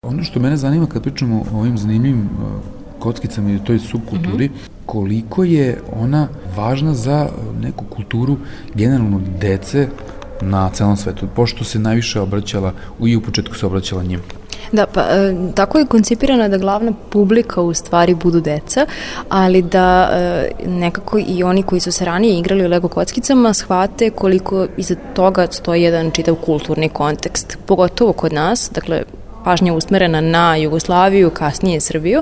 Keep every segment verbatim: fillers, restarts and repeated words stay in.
Ono što mene zanima kad pričamo o ovim zanimljivim kockicama i o toj subkulturi, mm-hmm. koliko je ona važna za neku kulturu generalno dece na celom svetu, pošto se najviše obraćala, i u početku se obraćala njima. Da, pa e, tako je koncipirana da glavna publika u stvari budu deca, ali da e, nekako i oni koji su se ranije igrali u Lego kockicama shvate koliko iza toga stoji jedan čitav kulturni kontekst, pogotovo kod nas, dakle pažnja usmerena na Jugoslaviju, kasnije Srbiju,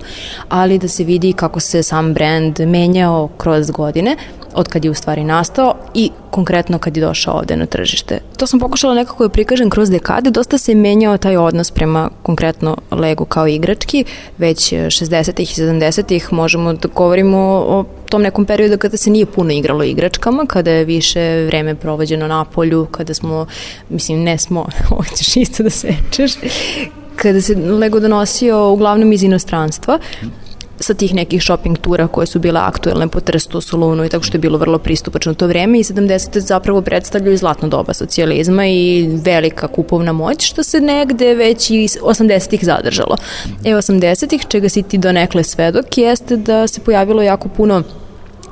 ali da se vidi kako se sam brend menjao kroz godine, od kad je u stvari nastao i konkretno kad je došao ovde na tržište. To sam pokušala nekako da prikažem kroz dekade, dosta se menjao taj odnos prema konkretno Legu kao igrački, već šezdesetih i sedamdesetih možemo da govorimo o tom nekom periodu kada se nije puno igralo igračkama, kada je više vreme provođeno na polju, kada smo, mislim ne smo, hoćeš isto da sečeš, kada se Lego donosio uglavnom iz inostranstva, sa tih nekih shopping tura koje su bile aktuelne po Trstu, Solunu i tako što je bilo vrlo pristupačno to vreme i sedamdesete zapravo predstavljaju zlatno doba socijalizma i velika kupovna moć što se negde već i osamdesetih zadržalo. E osamdesetih, čega si ti donekle svedok, jeste da se pojavilo jako puno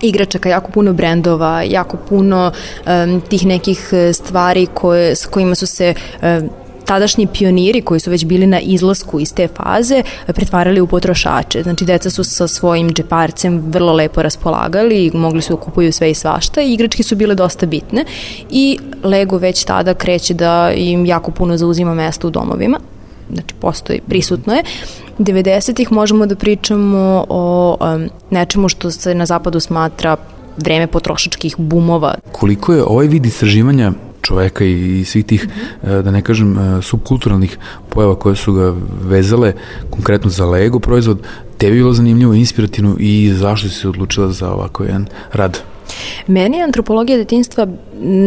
igračaka, jako puno brendova, jako puno um, tih nekih stvari koje, s kojima su se um, tadašnji pioniri koji su već bili na izlasku iz te faze pretvarali u potrošače. Znači, deca su sa svojim džeparcem vrlo lepo raspolagali i mogli su da kupuju sve i svašta i igračke su bile dosta bitne i Lego već tada kreće da im jako puno zauzima mesta u domovima. Znači, postoji, prisutno je. devedesetih možemo da pričamo o um, nečemu što se na zapadu smatra vreme potrošačkih bumova. Koliko je ovaj vid istraživanja čoveka i svih tih, mm-hmm. da ne kažem, subkulturalnih pojava koje su ga vezale konkretno za Lego proizvod, tebi je bilo zanimljivo, inspirativno i zašto si se odlučila za ovako jedan rad? Meni je antropologija detinjstva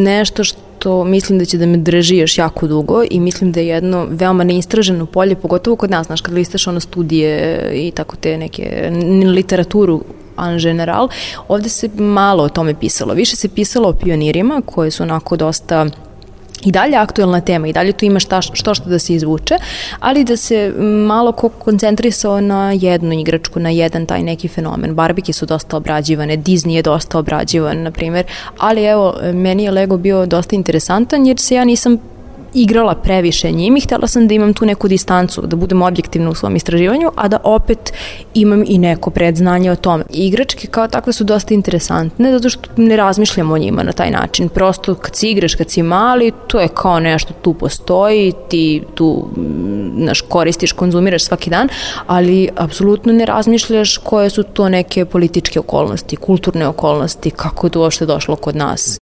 nešto što mislim da će da me drži još jako dugo i mislim da je jedno veoma neistraženo polje, pogotovo kod nas, znaš, kad listaš ono studije i tako te neke literaturu en general, ovde se malo o tome pisalo. Više se pisalo o pionirima koji su onako dosta i dalje aktuelna tema i dalje tu ima šta, što što da se izvuče, ali da se malo ko koncentrisao na jednu igračku, na jedan taj neki fenomen. Barbike su dosta obrađivane, Disney je dosta obrađivan, na primjer, ali evo, meni je Lego bio dosta interesantan jer se ja nisam igrala previše njim i htjela sam da imam tu neku distancu, da budem objektivna u svom istraživanju, a da opet imam i neko predznanje o tome. Igračke kao takve su dosta interesantne, zato što ne razmišljamo o njima na taj način. Prosto kad si igraš, kad si mali, to je kao nešto tu postoji, ti tu naš, koristiš, konzumiraš svaki dan, ali apsolutno ne razmišljaš koje su to neke političke okolnosti, kulturne okolnosti, kako je to uopšte došlo kod nas.